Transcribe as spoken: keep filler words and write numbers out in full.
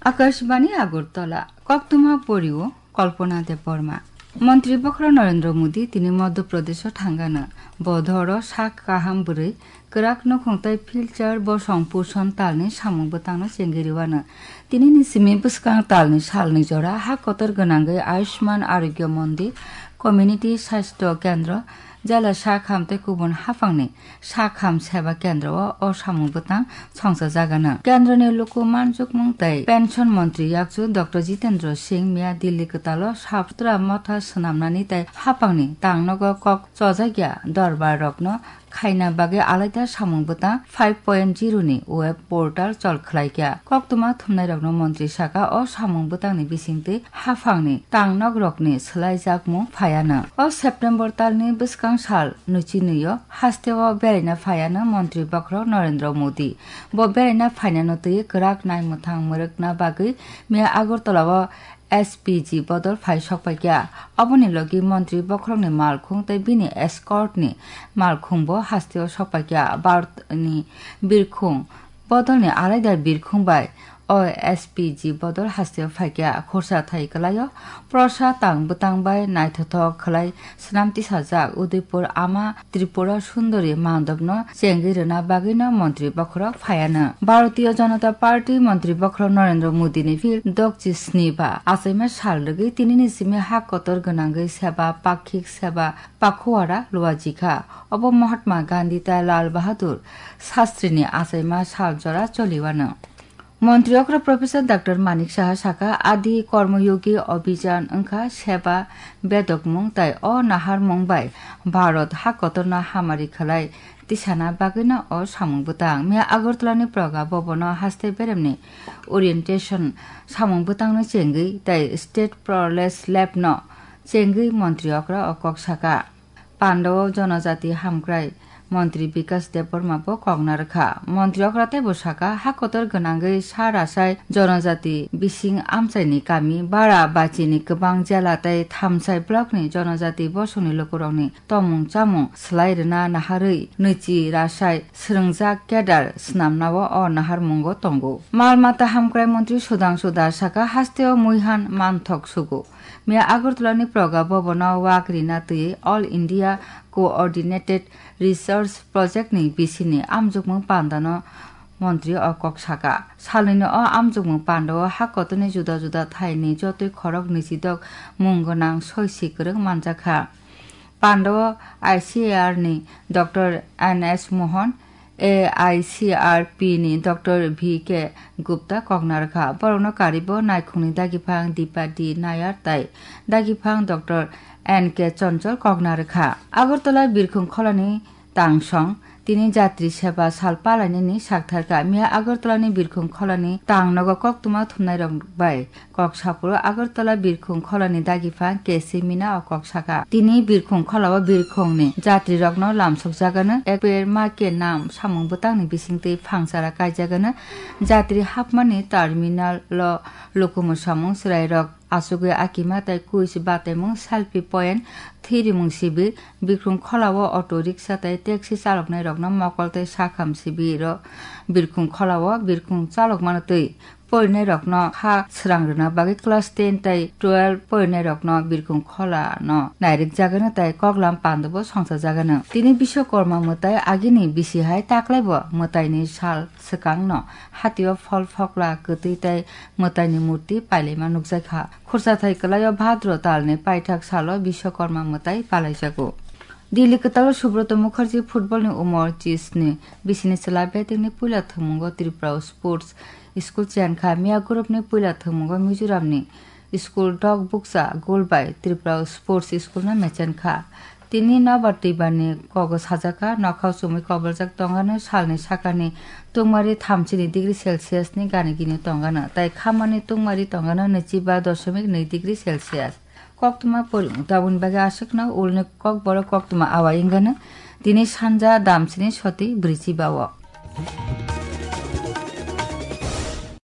Akashbani Agartala, koktwma porio Kalpana Debbarma. Montri bokhorok Narendra Modi tini Madhya Pradesho thangano. Bo doro sak kaham bwrwi kwrak nukhung tei filter bosong puson talni samung bwtangno chengwi rwano. Tini ni simi bwskang talni salni jora ha kotor gwnangwi Ayushman Arogya Mondi, Community Sastho Kendra, Jela Sakham tei kubun haphangni Sakham Seba Kendra o, o samung bwtang songchajagano. Kendroni luku manjukmung tei Pension Montri yakchu Doctor Jitendra Singh miya Delhi kwtalo Saptra Motha swnamnani tei haphangni tangnogo kok chojakya dorbar rokno khaina bagwi alaida samung bwtang five point zero ni web portal chol khlaikha. Koktwma thumnairokno montri saka o samung bwtangni bisingtwi haphangni tangnokrokni swlaijakmung phaiano. O September talni bwskang sal nuchinwi o hasteo beraina phaiano montri bokhorok Narendra Modi. Bo beraina phainano twi kwrak naimwthang mwrwkna bagwi miya Agartala o S P G bodol phai sokpaikha. Aboni logi montri bokhorokni malkhung tei bini escort ni malkhung bo hasteo sokpaikha. Bharat ni birkhung bodolni alaida birkhung bai o S P G bodol hasteo phaikha. Khorsa thai kwlaio prosa tang bwtang bai naithothok khwlai swnam tisajak Udaipur ama Tripura Sundari mandopno chengwi rwna bagwino montri bokhorok phaiano. Bharatiya Janata Party montri bokhorok Narendra Modi ni phil dokchi sni ba achaima sal rwgwi tinini simi ha kotor gwnangwi seba pakhik seba pakhuwara luajikha. Obo Mahatma Gandhi tei Lal Bahadur Shastri ni achaima sal jora choliwano. Montri okra Professor Doctor Manik Saha saka, Adi Kormoyogi Abhijan wngkha seba bedokmung tai o naharmung bai Bharat ha kotorno hamari khlai tisana bagwino o samung bwtang. Miya Agartala ni Praga Bhavan o haste beremni orientation samung bwtangno chengwi tai State Proless Lab no chengwi montri okra o kok saka. Pandao Jonojati Hamkrai Montri Bikas Debbarma bo kokna rwkha. Montri okra teibo saka, ha kotor gwnangwi sa rasai Jonojati bising amchaini kami Bara Bachini kwbang jela tei Thamsai blockni Jonojati bosongni lukurokni tomung chamung swlai rwna naharwi nwichi rasai swrwngjak kedar swnamnao o naharmungo tongo. Mal mata hamkrai montri Sudhangshu Das saka, hasteo muihan manthok sugo. Miya Agartala ni Praga Bhavan o wak rina twi All India Coordinated Research Project ni bisini amjokmung panda no montri o kok saka. Salnwi no o amjokmung panda o ha kotor ni juda juda thai ni jotoi khorok nwichidok mung gwnang soi si kwrwng manjakha. Panda o I C A R ni Doctor N S Mohan, A I C R P ni Doctor V K Gupta kokna rwkha. Borokno karibo naikhungni dagiphang Dipa D Nayar tai dagiphang Doctor N K Chonchol kokna rwkha. Agartala birkhung kholani tangsong tini jatri seba sal palainani saktharkha. Miya Agartala ni birkhung kholani tangnogo koktwma thumnairok bai kok saphuru Agartala birkhung kholani dagiphang K C Mina o kok saka. Tini birkhung kholao birkhungni jatrirokno lamsokjagano, ek per ma ke nam samung bwtangni bisingtwi phangchara kaijagano, jatri hapmani terminal o lukumu samung chwrairok achugwi akima tei quiz bataimung selfie point, thirimung sibir, birkhung kholao auto rickshaw tei taxi chaloknairokno mokol tei sakham sibiro birkhung kholao birkhung chalokmano twi porinairokno kha srang rwna bagwi class ten tei twelve porinairokno birkhung kholano nairikjagano tei koklam pandabo songchajagano. Tini Biswakorma mwtai agini bisi hai taklaibo mwtaini sal swkangno hatio phol phokla kwtwi tei mwtaini murti pailaima nukjakha. Khursathai kwlaio Bhadro talni paithak salo Biswakorma mwtai palaijago. Delhi kwtalo Subroto Mukherjee football ni umor chisni bisini chwla batting ni puila thwngmungo Tripura Sports School chenkha. Miya group ni puila thwngmungo Mizoram ni school dok bukcha goal bai Tripura Sports School no mechenkha. Tini nobar twibar ni kogo sajaka, nokhao chumui koboljak tongano, salni sakani tungmari thamchini degree Celsius ni gani gini tongano, tai khamani tungmari tongano nwichiba dosomik nwi degree Celsius. Koktwma porimung tabukni bagwi aswkno ulni kokborok koktwma awai wngano. Tini sanja damsini soti brichi bao.